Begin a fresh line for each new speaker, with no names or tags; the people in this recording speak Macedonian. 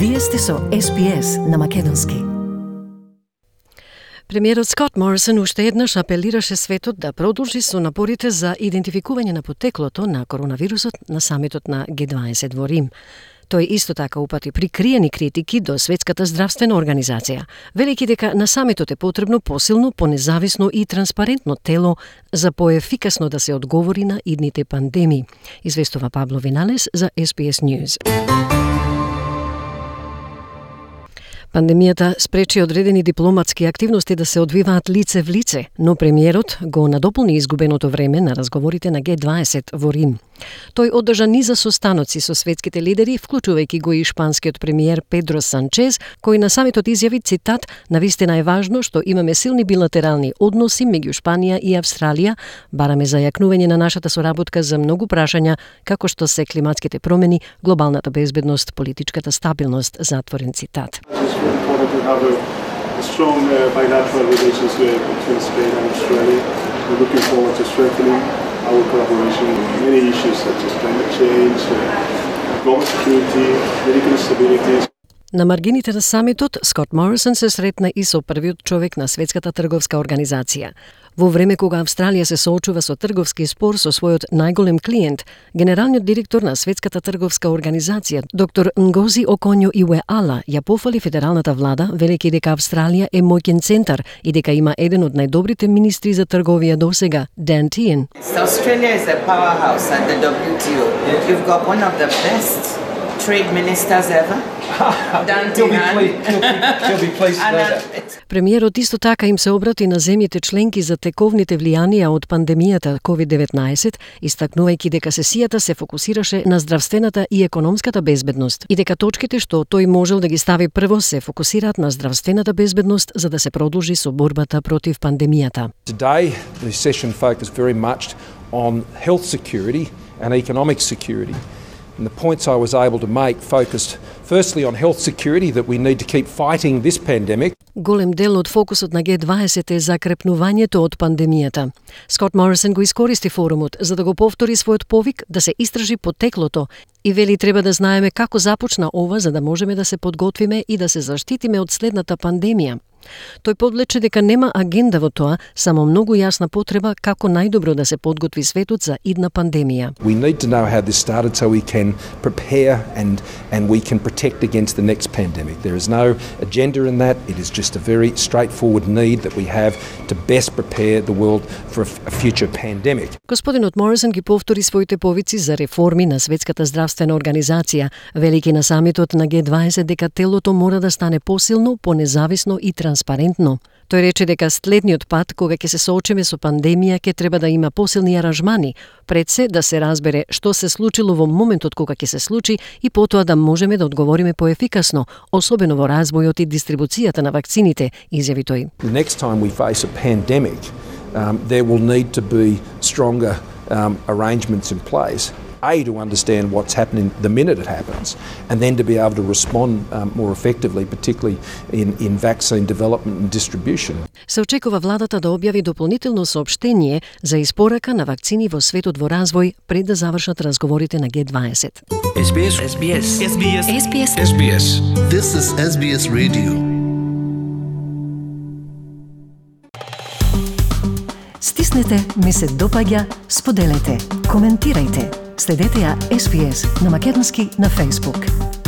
Вие сте со SPS на македонски.
Премиерот Скот Морисон уште еднаш апелираше светот да продолжи со напорите за идентификување на потеклото на коронавирусот на самитот на Г20 во Рим. Тој исто така упати прикриени критики до Светската здравствена организација, велики дека на самитот е потребно посилно, понезависно и транспарентно тело за поефикасно да се одговори на идните пандемии, известува Пабло Виналес за SPS News. Пандемијата спречи одредени дипломатски активности да се одвиваат лице в лице, но премиерот го надополни изгубеното време на разговорите на Г20 во Рим. Тој одржа низа состаноци со светските лидери, вклучувајќи го и шпанскиот премиер Педро Санчез, кој на самитот изјави, цитат, "Навистина е важно што имаме силни билатерални односи меѓу Шпанија и Австралија, бараме зајакнување на нашата соработка за многу прашања, како што се климатските промени, глобалната безбедност, политичката стабилност", затворен цитат.
It's important to have a strong bilateral relations between Spain and Australia. We're looking forward to strengthening our collaboration on many issues such as climate change, global security, medical stability.
На маргините на самитот, Скот Морисон се сретна и со првиот човек на Светската трговска организација. Во време кога Австралија се соочува со трговски спор со својот најголем клиент, генералниот директор на Светската трговска организација, доктор Нгози Оконјо Иуеала, ја пофали федералната влада, велејќи дека Австралија е моќен центар и дека има еден од најдобрите министри за трговија досега, Dan Tehan.
Australia is a powerhouse at the WTO. You've got one of the best trade ministers ever.
She'll be pleased to know that.
Премиерот исто така им се обрати на земјите членки за тековните влијанија од пандемијата COVID-19, истакнувајќи дека сесијата се фокусираше на здравствената и економската безбедност и дека точките што тој можел да ги стави прво се фокусираат на здравствената безбедност за да се продолжи со борбата против пандемијата.
Today, the session focused very much on health security and economic security. And the points I was able to make focused firstly on health security, that we need to keep fighting this pandemic.
Голем дел од фокусот на Г20 е закрепнувањето од пандемијата. Скот Морисон го искористи форумот за да го повтори својот повик да се истражи потеклото и вели треба да знаеме како започна ова за да можеме да се подготвиме и да се заштитиме од следната пандемија. Тој подлече дека нема агенда во тоа, само многу јасна потреба како најдобро да се подготви светот за идна пандемија.
We need to know how this started so we can prepare and we can protect against the next pandemic. There is no agenda in that. It is just a very straightforward need that we have to best prepare the world for a future pandemic.
Господинот Морисон ги повтори своите повици за реформи на Светската здравствена организација, велики на самитот на Г20 дека телото мора да стане посилно, понезависно и транспарентно. Тој рече дека следниот пат кога ќе се соочиме со пандемија ќе треба да има посилни аранжмани, пред се да се разбере што се случило во моментот кога ќе се случи и потоа да можеме да одговориме поефикасно, особено во развојот и дистрибуцијата на вакцините, изјави тој.
The next time we face a pandemic, there will need to be stronger arrangements in place. A, to understand what's happening the minute it happens, and then to be able to respond more effectively, particularly in vaccine development and distribution.
Се очекува владата да објави дополнително соопштение за испорака на вакцини во светот во развој пред да завршат разговорите на Г20.
SBS.
This is SBS Radio.
Стиснете, ми се допаѓа, споделете, коментирајте. Следете ја SPS на македонски на Facebook.